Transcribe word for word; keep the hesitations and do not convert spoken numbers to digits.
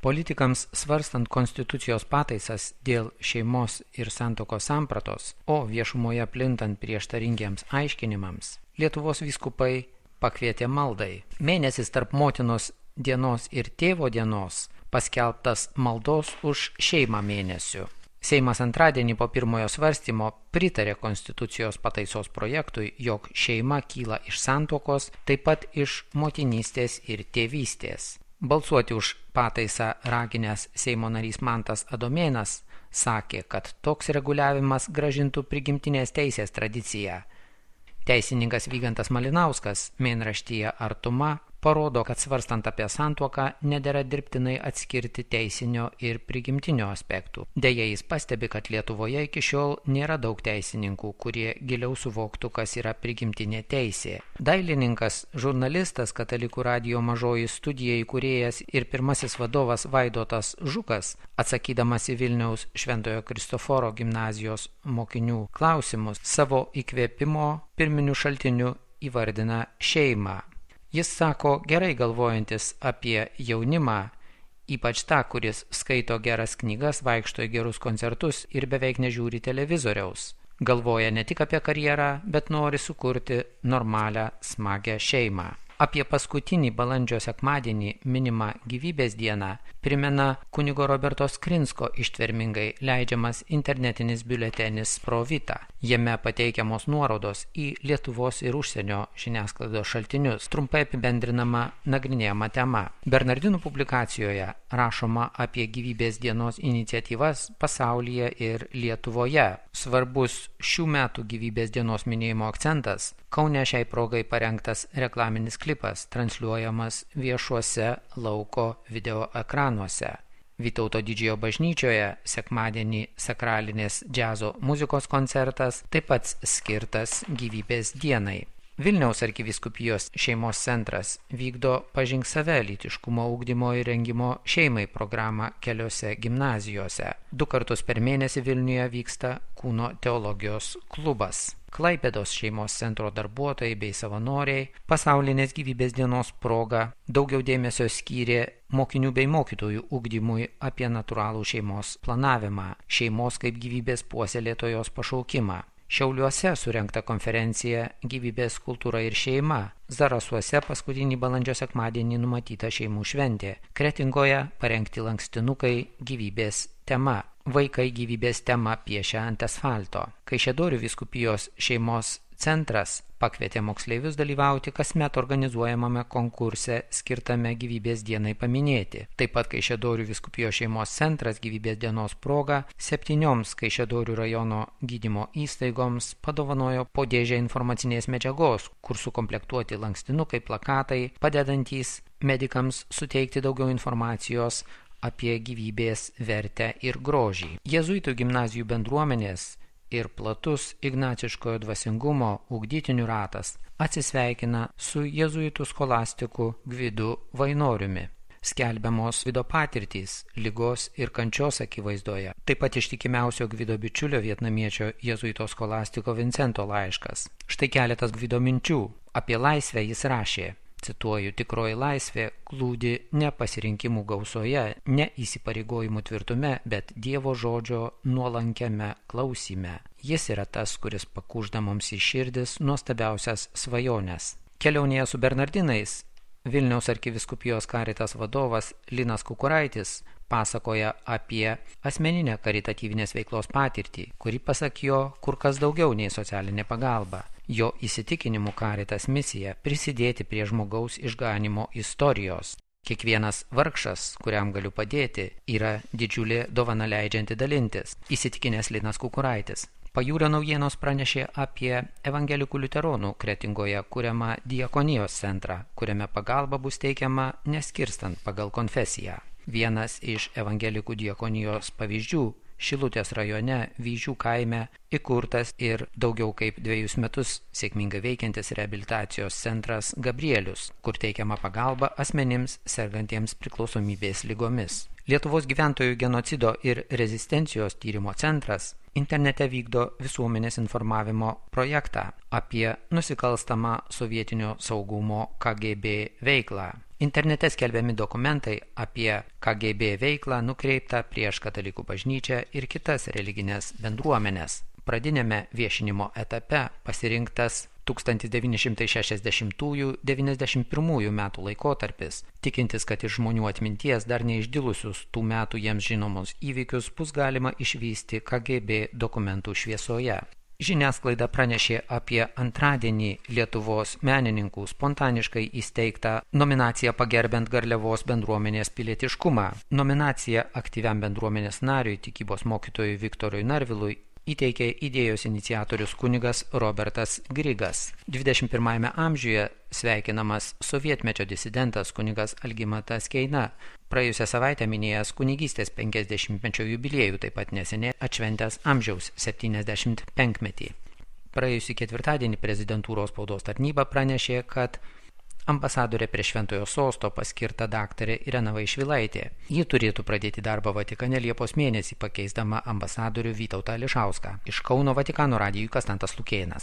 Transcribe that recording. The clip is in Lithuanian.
Politikams svarstant konstitucijos pataisas dėl šeimos ir santuokos sampratos, o viešumoje plintant prieštaringiems aiškinimams, Lietuvos vyskupai pakvietė maldai. Mėnesis tarp motinos dienos ir tėvo dienos paskelbtas maldos už šeimą mėnesiu. Seimas antradienį po pirmojo svarstymo pritarė konstitucijos pataisos projektui, jog šeima kyla iš santuokos, taip pat iš motinystės ir tėvystės. Balsuoti už pataisą raginęs Seimo narys Mantas Adomėnas sakė, kad toks reguliavimas grąžintų prigimtinės teisės tradiciją. Teisininkas Vygantas Malinauskas mėnraštyje Artuma parodo, kad svarstant apie santuoką nedera dirbtinai atskirti teisinio ir prigimtinio aspektų. Deja, jis pastebi, kad Lietuvoje iki šiol nėra daug teisininkų, kurie giliau suvoktų, kas yra prigimtinė teisė. Dailininkas, žurnalistas, Katalikų radijo Mažoji studija įkūrėjas ir pirmasis vadovas Vaidotas Žukas, atsakydamas į Vilniaus Šventojo Kristoforo gimnazijos mokinių klausimus, savo įkvėpimo pirminiu šaltiniu įvardina šeimą. Jis sako, gerai galvojantis apie jaunimą, ypač tą, kuris skaito geras knygas, vaikšto į gerus koncertus ir beveik nežiūri televizoriaus. Galvoja ne tik apie karjerą, bet nori sukurti normalią, smagią šeimą. Apie paskutinį balandžio sekmadienį minimą gyvybės dieną primena kunigo Roberto Skrinsko ištvermingai leidžiamas internetinis biuletenis Pro Vita. Jame pateikiamos nuorodos į Lietuvos ir užsienio žiniasklaidos šaltinius, trumpai apibendrinama nagrinėjama tema. Bernardinų publikacijoje rašoma apie gyvybės dienos iniciatyvas pasaulyje ir Lietuvoje. Svarbus šių metų gyvybės dienos minėjimo akcentas – Kaune šiai progai parengtas reklaminis klipas, transliuojamas viešuose lauko video ekranuose. Vytauto Didžiojo bažnyčioje sekmadienį sakralinės džiazo muzikos koncertas, taip pat skirtas gyvybės dienai. Vilniaus arkivyskupijos šeimos centras vykdo Pažink save lytiškumo ugdymo ir rengimo šeimai programą keliose gimnazijose. Du kartus per mėnesį Vilniuje vyksta Kūno teologijos klubas. Klaipėdos šeimos centro darbuotojai bei savanoriai pasaulinės gyvybės dienos proga daugiau dėmesio skyrė mokinių bei mokytojų ugdymui apie natūralų šeimos planavimą, šeimos kaip gyvybės puoselėtojos pašaukimą. Šiauliuose surengta konferencija Gyvybės kultūra ir šeima. Zarasuose paskutinį balandžio sekmadienį numatyta šeimų šventė. Kretingoje parengti lankstinukai gyvybės tema. Vaikai gyvybės temą piešia ant asfalto. Kaišiadorių vyskupijos šeimos centras pakvietė moksleivius dalyvauti kasmet organizuojamame konkurse skirtame gyvybės dienai paminėti. Taip pat Kaišiadorių vyskupijos šeimos centras gyvybės dienos proga septynioms Kaišiadorių rajono gydymo įstaigoms padovanojo po dėžę informacinės medžiagos, kur sukomplektuoti lankstinukai, plakatai, padedantys medikams suteikti daugiau informacijos apie gyvybės vertę ir grožį. Jėzuitų gimnazijų bendruomenės ir platus ignaciškojo dvasingumo ugdytinių ratas atsisveikina su jėzuitų skolastiku Gvidu Vainoriumi. Skelbiamos Gvido patirtys, ligos ir kančios akivaizdoje. Taip pat ištikimiausio Gvido bičiulio vietnamiečio jėzuito skolastiko Vincento laiškas. Štai keletas Gvido minčių. Apie laisvę jis rašė. Cituoju, tikroji laisvė glūdi ne pasirinkimų gausoje, ne įsipareigojimų tvirtume, bet Dievo žodžio nuolankiame klausyme. Jis yra tas, kuris pakužda mums į širdis nuostabiausias svajones. Kelionėje su Bernardinais Vilniaus arkivyskupijos Caritas vadovas Linas Kukuraitis pasakoja apie asmeninę karitatyvinės veiklos patirtį, kuri pasak jo kur kas daugiau nei socialinė pagalba. Jo įsitikinimu Caritas misija prisidėti prie žmogaus išganimo istorijos. Kiekvienas vargšas, kuriam galiu padėti, yra didžiulė dovana leidžianti dalintis, įsitikinęs Linas Kukuraitis. Pajūrio naujienos pranešė apie evangelikų liuteronų Kretingoje kuriamą diakonijos centrą, kuriame pagalba bus teikiama neskirstant pagal konfesiją. Vienas iš evangelikų diakonijos pavyzdžių Šilutės rajone Vyžių kaime įkurtas ir daugiau kaip dviejus metus sėkmingai veikiantis reabilitacijos centras Gabrielius, kur teikiama pagalba asmenims sergantiems priklausomybės ligomis. Lietuvos gyventojų genocido ir rezistencijos tyrimo centras internete vykdo visuomenės informavimo projektą apie nusikalstamą sovietinio saugumo K G B veiklą. Internete skelbiami dokumentai apie K G B veiklą nukreiptą prieš katalikų bažnyčią ir kitas religinės bendruomenės. Pradinėme viešinimo etape pasirinktas tūkstantis devyni šimtai šešiasdešimtųjų - devyniasdešimt pirmųjų metų laikotarpis, tikintis, kad iš žmonių atminties dar neišdilusius tų metų jiems žinomus įvykius bus galima išvysti K G B dokumentų šviesoje. Žiniasklaida pranešė apie antradienį Lietuvos menininkų spontaniškai įsteigtą nominaciją pagerbiant Garliavos bendruomenės pilietiškumą. Nominaciją aktyviam bendruomenės nariui, tikybos mokytojui Viktorui Narvilui, įteikė idėjos iniciatorius kunigas Robertas Grigas. dvidešimt pirmajame amžiuje sveikinamas sovietmečio disidentas kunigas Algimantas Keina, praėjusią savaitę minėjęs kunigystės penkiasdešimtmečio jubiliejų, taip pat neseniai atšventęs amžiaus septyniasdešimt penkmetį. Praėjusį ketvirtadienį prezidentūros spaudos tarnyba pranešė, kad ambasadorė prie Šventojo sosto paskirta daktarė Irena Vaišvilaitė. Ji turėtų pradėti darbą Vatikane Liepos mėnesį, pakeisdama ambasadorių Vytautą Ališauską. Iš Kauno Vatikano radijui Konstantas Lukėnas.